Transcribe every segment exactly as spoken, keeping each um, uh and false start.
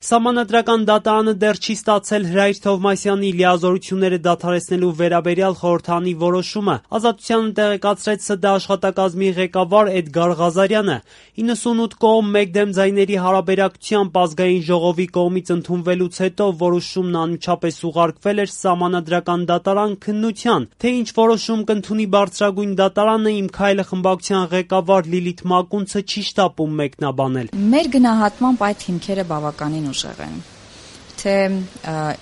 Սահմանադրական դատարանը դեռ չի ստացել Հրայր Թովմասյանի լիազորությունները դադարեցնելու վերաբերյալ խորհրդարանի որոշումը։ Ազատությանը տեղեկացրեց ՍԴ աշխատակազմի ղեկավար Էդգար Ղազարյանը։ իննսունութ կողմ մեկ դեմ ձայների հարաբերակցությամբ Ազգային ժողովի կողմից ընդունվելուց հետո որոշումն անմիջապես ուղարկվել էր Սահմանադրական դատարան քննության։ Թե ինչ որոշում կընդունի բարձրագույն դատարանը, Իմ քայլը խմբակցության ղեկավար Լիլիթ Մակունցը չի շտապում մեկնաբանել։ Մեր գնահատմամբ այդ հիմքերը բավականին ուժեղ են, թե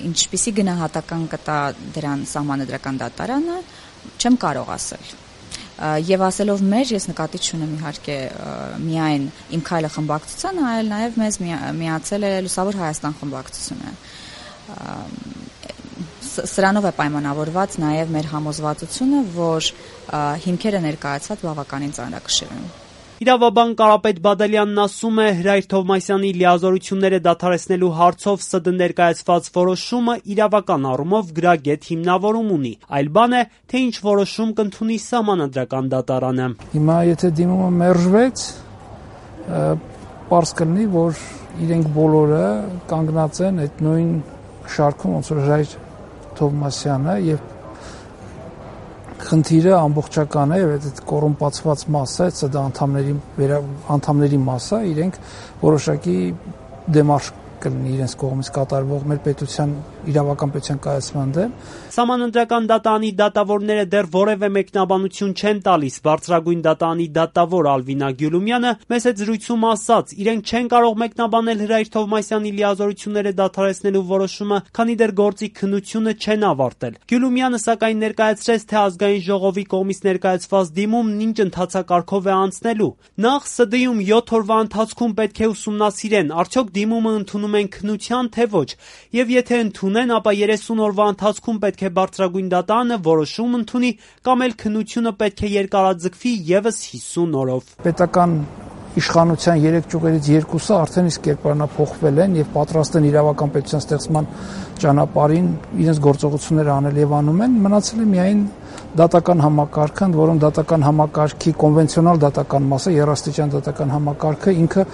ինչպիսի գնահատական կտա դրան Սահմանադրական դատարանը, չեմ կարող ասել։ Եվ ասելով մեր, ես նկատի չունեմ իհարկե միայն Իմ քայլը խմբակցությանը, այլ նաև մեզ միացել է Լուսավոր Հայաստան խմբակցությունը։ Սրանով է պայմանավորված նաև մեր համոզվածությունը, որ հիմքերը ներկայացված բավականին ծանրակշիռ են։ Իրավաբան Կարապետ Բադալյանն ասում է, Հրայր Թովմասյանի լիազորությունները դադարեցնելու հարցով ՍԴ ներկայացված որոշումը իրավական առումով գրագետ հիմնավորում ունի։ Այլ բան է, թե ինչ որոշում կընդունի Սահմանադրական դատարանը։ Հիմա եթե դիմումը մերժվեց, պարզ կլինի, որ իրենք բոլորը կանգնած են այդ նույն շարքում, ոնց որ Հրայր Թովմասյանը, եւ խնդիրը ամբողջական է, եւ այդ կոռումպացված մասը, ՍԴ անդամների անդամների մասը, իրենք որոշակի դեմարշ կլինի իրենց կողմից կատարվող մեր պետության իրավական պետության կայացման դեմ։ Սահմանադրական դատարանի դատավորները դեռ որևէ մեկնաբանություն չեն տալիս։ Բարձրագույն դատարանի դատավոր Ալվինա Գյուլումյանը մեծ զրույցում ասաց, իրենք չեն կարող մեկնաբանել Հրայր Թովմասյանի լիազորությունները դադարեցնելու որոշումը, քանի դեռ գործի քննությունը չեն ավարտել։ Գյուլումյանը սակայն ներկայացրեց, թե Ազգային ժողովի կողմից ներկայացված դիմումն ինչ ընթացակարգով է անցնելու։ Նախ ՍԴ-ում յոթ օրվա ընթացքում պետք է ուսումնասիրեն, արդյոք դիմումը ընդունում են քննության, թե ոչ, եւ եթե ընդունեն, ապա երեսուն օրվա ընթացքում պետք է բարձրագույն դատարանը որոշում ընդունի, կամ էլ քննությունը պետք է երկարաձգվի եւս հիսուն օրով։ Պետական իշխանության երեք ճյուղերից երկուսը արդեն իսկ կերպարանափոխվել են եւ պատրաստ են իրավական պետության ստեղծման ճանապարհին իրենց գործողությունները անել եւ անում են, մնացել է միայն դատական համակարգը, ընդ որում դատական համակարգի կոնվենցիոնալ դատական մասը, երաստիճան դատական համակարգը ինքը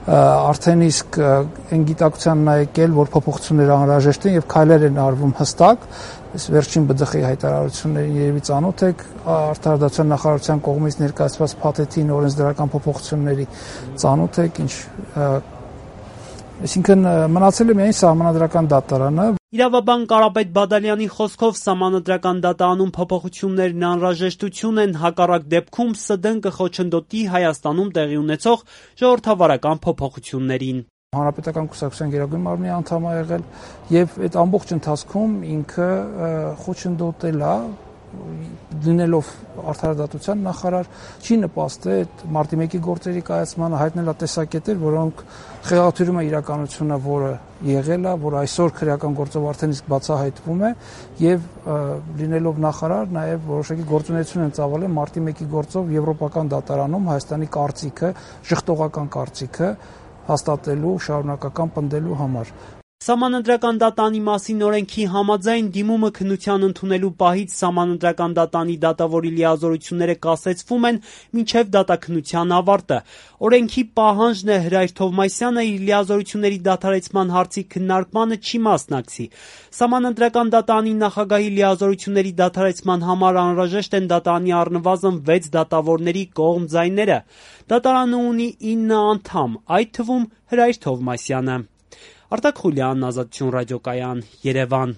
արդեն իսկ այն գիտակցությանն է եկել, որ փոփոխություններ անհրաժեշտ են եւ քայլեր են արվում հստակ։ Այս վերջին Բ Դ Խ-ի հայտարարություններին երևի ծանոթ եք, Արտարադատության նախարարության կողմից ներկայացված փաթեթին օրենսդրական փոփոխությունների ծանոթ եք, ինչ այսինքն մնացել է միայն Սահմանադրական դատարանը։ Իրավաբան Կարապետ Բադալյանի խոսքով Սահմանադրական դատարանում փոփոխություններն անհրաժեշտություն են, հակառակ դեպքում ՍԴ-ն կխոչընդոտի Հայաստանում տեղի ունեցող ժողովրդավարական փոփոխություններին։ Հանրապետական կուսակցության գերագույն մարմնի անդամ է եղել եւ այդ ամբողջ ընթացքում ինքը խոչընդոտել է, լինելով Արդարադատության նախարար, չի նպաստել այդ մարտի մեկի գործերի կայացմանը, հայտնել է տեսակետեր, որոնք խեղաթյուրում է իրականությունը, որը եղել է, որ այսօր քրեական գործով արդեն իսկ բացահայտվում է եւ լինելով նախարար նաեւ որոշակի գործունեություն են ծավալել մարտի մեկի գործով Եվրոպական դատարանում Հայաստանի կարծիքը, ժխտողական կարծիքը հաստատելու, շարունակական պնդելու համար։ Սահմանադրական դատարանի մասին օրենքի համաձայն դիմումը քննության ընդունելու պահից Սահմանադրական դատարանի դատավորի լիազորությունները կասեցվում են մինչև դատաքննության ավարտը։ Օրենքի պահանջն է Հրայր Թովմասյանը իր լիազորությունների դադարեցման հարցի քննարկմանը չի մասնակցի։ Սահմանադրական դատարանի նախագահի լիազորությունների դադարեցման համար անհրաժեշտ են դատարանի առնվազն վեց դատավորների կողմ ձայները։ Դատարանը ունի ինը անդամ, այդ թվում Հրայր Թովմասյանը։ Արտակ Խուլյան, Ազատություն ռադիոկայան, Երևան։